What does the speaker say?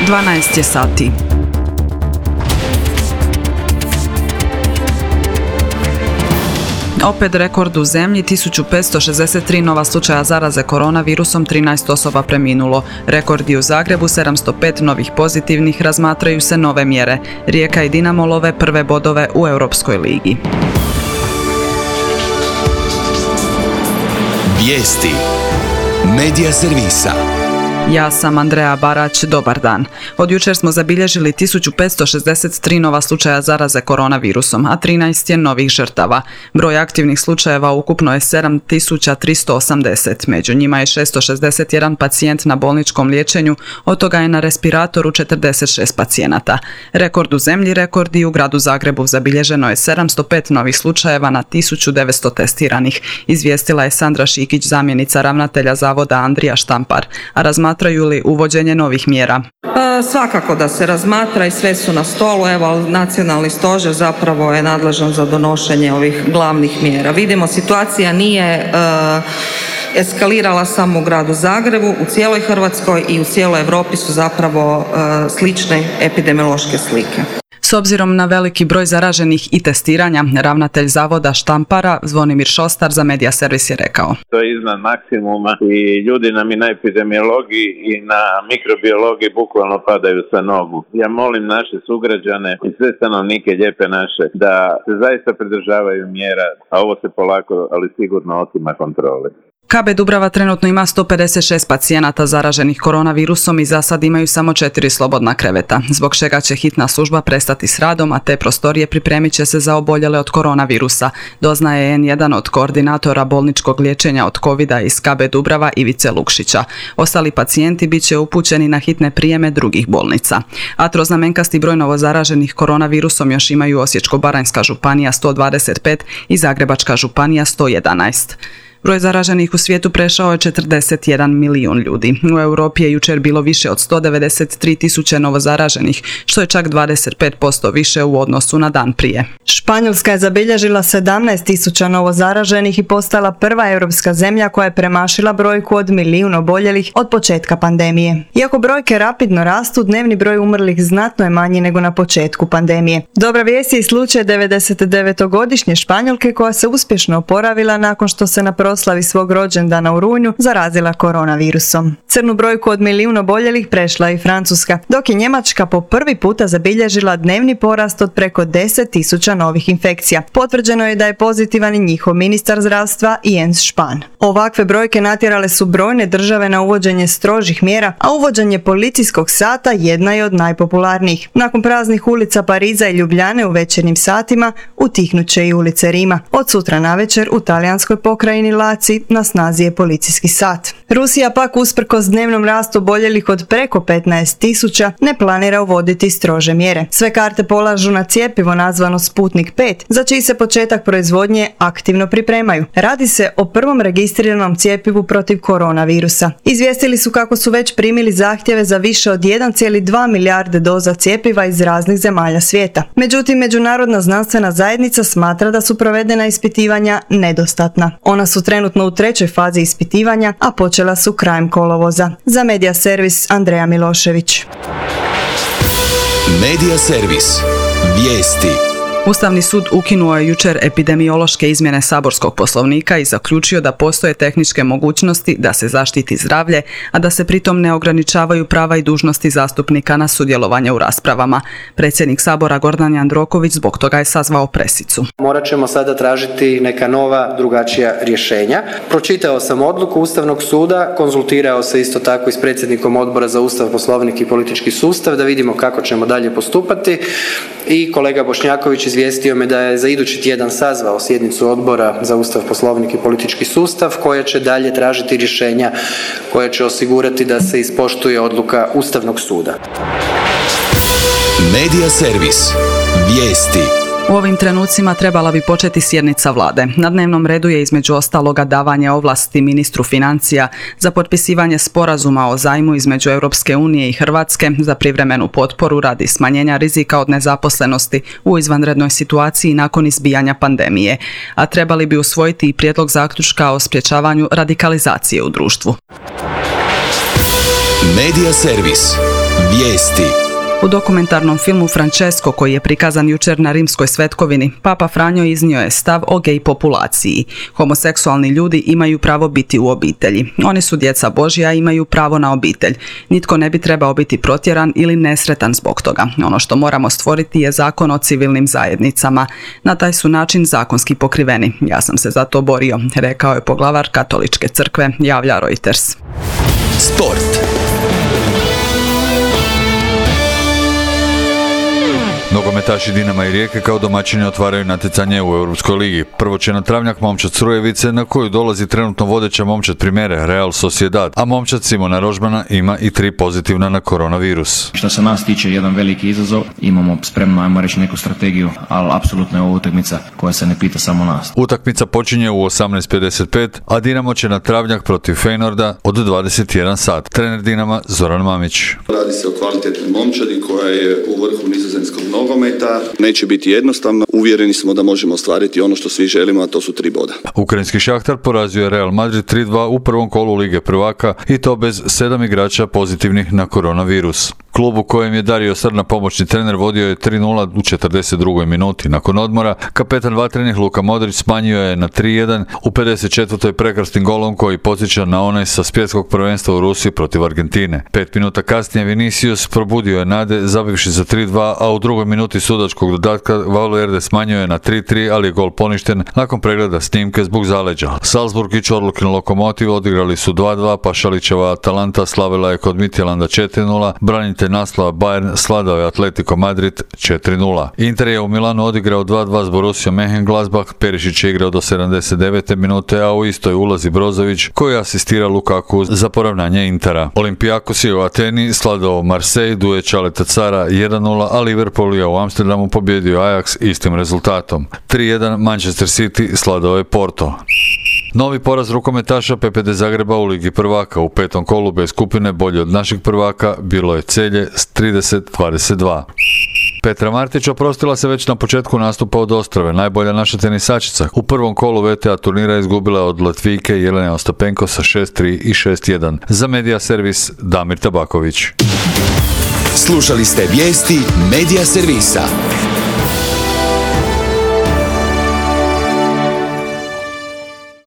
12 je sati. Opet rekord u zemlji, 1563 nova slučaja zaraze koronavirusom, 13 osoba preminulo. Rekordi u Zagrebu, 705 novih pozitivnih, razmatraju se nove mjere. Rijeka i Dinamo love prve bodove u Europskoj ligi. Vijesti Medija servisa. Ja sam Andreja Barać, dobar dan. Od jučer smo zabilježili 1563 nova slučaja zaraze koronavirusom, a 13 je novih žrtava. Broj aktivnih slučajeva ukupno je 7380, među njima je 661 pacijent na bolničkom liječenju, od toga je na respiratoru 46 pacijenata. Rekord u zemlji, rekord i u gradu Zagrebu, zabilježeno je 705 novih slučajeva na 1900 testiranih, izvijestila je Sandra Šikić, zamjenica ravnatelja zavoda Andrija Štampar, a razmatraju li uvođenje novih mjera? Svakako da se razmatra i sve su na stolu. Evo, nacionalni stožer zapravo je nadležan za donošenje ovih glavnih mjera. Vidimo, situacija nije eskalirala samo u gradu Zagrebu, u cijeloj Hrvatskoj i u cijeloj Europi su zapravo slične epidemiološke slike. S obzirom na veliki broj zaraženih i testiranja, ravnatelj zavoda Štampara Zvonimir Šostar za Medija servis je rekao: To je iznad maksimuma i ljudi nam i na epidemiologiji i na mikrobiologiji bukvalno padaju sa nogu. Ja molim naše sugrađane i sve stanovnike Lijepe naše da se zaista pridržavaju mjera, a ovo se polako, ali sigurno otima kontrole. KB Dubrava trenutno ima 156 pacijenata zaraženih koronavirusom i za sad imaju samo 4 slobodna kreveta, zbog čega će hitna služba prestati s radom, a te prostorije pripremit će se za oboljele od koronavirusa, doznaje N1 od koordinatora bolničkog liječenja od covida iz KB Dubrava Ivice Lukšića. Ostali pacijenti bit će upućeni na hitne prijeme drugih bolnica. A troznamenkasti broj novozaraženih koronavirusom još imaju Osječko-baranjska županija 125 i Zagrebačka županija 111. Broj zaraženih u svijetu prešao je 41 milijun ljudi. U Europi je jučer bilo više od 193 tisuće novozaraženih, što je čak 25% više u odnosu na dan prije. Španjolska je zabilježila 17 tisuća novozaraženih i postala prva europska zemlja koja je premašila brojku od milijun oboljelih od početka pandemije. Iako brojke rapidno rastu, dnevni broj umrlih znatno je manji nego na početku pandemije. Dobra vijest je i slučaj 99-godišnje Španjolke koja se uspješno oporavila nakon što se na proslavi svog rođendana u rujnu zarazila koronavirusom. Crnu brojku od milijun oboljelih prešla i Francuska, dok je Njemačka po prvi puta zabilježila dnevni porast od preko 10 tisuća novih infekcija. Potvrđeno je da je pozitivan i njihov ministar zdravstva Jens Spahn. Ovakve brojke natjerale su brojne države na uvođenje strožih mjera, a uvođenje policijskog sata jedna je od najpopularnijih. Nakon praznih ulica Pariza i Ljubljane u večernjim satima, utihnut će i ulice Rima. Od sutra navečer u talijanskoj pokrajini Laci na snazi je policijski sat. Rusija pak usprkos dnevnom rastu oboljelih od preko 15 tisuća ne planira uvoditi strože mjere. Sve karte polažu na cjepivo nazvano Sputnik 5, za čiji se početak proizvodnje aktivno pripremaju. Radi se o prvom registriranom cjepivu protiv koronavirusa. Izvijestili su kako su već primili zahtjeve za više od 1,2 milijarde doza cjepiva iz raznih zemalja svijeta. Međutim, međunarodna znanstvena zajednica smatra da su provedena ispitivanja nedostatna. Ona su trenutno u 3. fazi ispitivanja, a počela su krajem kolovoza. Za Medija servis Andreja Milošević. Medija servis. Vijesti. Ustavni sud ukinuo je jučer epidemiološke izmjene saborskog poslovnika i zaključio da postoje tehničke mogućnosti da se zaštiti zdravlje, a da se pritom ne ograničavaju prava i dužnosti zastupnika na sudjelovanje u raspravama. Predsjednik Sabora Gordan Jandroković zbog toga je sazvao presicu. Morat ćemo sada tražiti neka nova, drugačija rješenja. Pročitao sam odluku Ustavnog suda, konzultirao se isto tako i s predsjednikom Odbora za Ustav, Poslovnik i politički sustav da vidimo kako ćemo dalje postupati i kolega Bošnjaković izvijestio me da je za idući tjedan sazvao sjednicu Odbora za Ustav, Poslovnik i politički sustav koja će dalje tražiti rješenja koja će osigurati da se ispoštuje odluka Ustavnog suda. Medija servis. Vijesti. U ovim trenucima trebala bi početi sjednica vlade. Na dnevnom redu je između ostaloga davanje ovlasti ministru financija za potpisivanje sporazuma o zajmu između Europske unije i Hrvatske za privremenu potporu radi smanjenja rizika od nezaposlenosti u izvanrednoj situaciji nakon izbijanja pandemije, a trebali bi usvojiti i prijedlog zaključka o sprječavanju radikalizacije u društvu. Medija servis. Vijesti. U dokumentarnom filmu Francesco, koji je prikazan jučer na Rimskoj svetkovini, Papa Franjo iznio je stav o gej populaciji. Homoseksualni ljudi imaju pravo biti u obitelji. Oni su djeca Božja i imaju pravo na obitelj. Nitko ne bi trebao biti protjeran ili nesretan zbog toga. Ono što moramo stvoriti je zakon o civilnim zajednicama. Na taj su način zakonski pokriveni. Ja sam se za to borio, rekao je poglavar Katoličke crkve, javlja Reuters. Sport. Nogometaši Dinama i Rijeke kao domaćini otvaraju natjecanje u Europskoj ligi. Prvo će na travnjak momčad Crujevice, na koju dolazi trenutno vodeća momčad Primere, Real Sociedad, a momčad Simona Rožmana ima i 3 pozitivna na koronavirus. Što se nas tiče, jedan veliki izazov, imamo spremno, ajmo reći, neku strategiju, ali apsolutno je ovo utakmica koja se ne pita samo nas. Utakmica počinje u 18:55, a Dinamo će na travnjak protiv Feynorda od 21 sat. Trener Dinama Zoran Mamić. Radi se o kvalitetnoj momčadi koja je u vrhu nizozemskog nogometa. Neće biti jednostavno. Uvjereni smo da možemo ostvariti ono što svi želimo, a to su 3 boda. Ukrajinski Šahtar porazio je Real Madrid 3-2 u prvom kolu Lige prvaka i to bez 7 igrača pozitivnih na koronavirus. Klub u kojem je Dario Srna pomoćni trener vodio je 3-0 u 42. minuti. Nakon odmora, kapetan vatrenih Luka Modrić smanjio je na 3-1 u 54. prekrasnim golom koji podsjeća na onaj sa svjetskog prvenstva u Rusiji protiv Argentine. 5 minuta kasnije Vinicius probudio je nade zabivši za 3-2, a u drugoj minuti sudačkog dodatka Valverde smanjio je na 3-3, ali je gol poništen nakon pregleda snimke zbog zaleđa. Salzburg i Čorlukin Lokomotiv odigrali su 2-2, pa Šalićeva Atalanta slavila je kod Midtjylanda 4-0, branitelj naslova Bayern sladao je Atletico Madrid 4-0. Inter je u Milanu odigrao 2-2 s Borussiom Mönchengladbach, Perišić je igrao do 79. minute, a u istoj ulazi Brozović koji asistira Lukaku za poravnanje Intera. Olympiakos je u Ateni sladao Marseille, Duje Čaleta Cara 1-0, a Liverpool je u Amsterdamu pobjedio Ajax istim rezultatom. 3-1 Manchester City sladao je Porto. Novi poraz rukometaša PPD Zagreba u Ligi prvaka u 5. kolu bez skupine bolje od našeg prvaka bilo je Celje s 30-22. Petra Martić oprostila se već na početku nastupa od Ostrave, najbolja naša tenisačica. U prvom kolu VTA turnira izgubila od Latvijke Jelene Ostapenko sa 6-3 i 6-1. Za Medija Servis Damir Tabaković. Slušali ste vijesti Medija Servisa.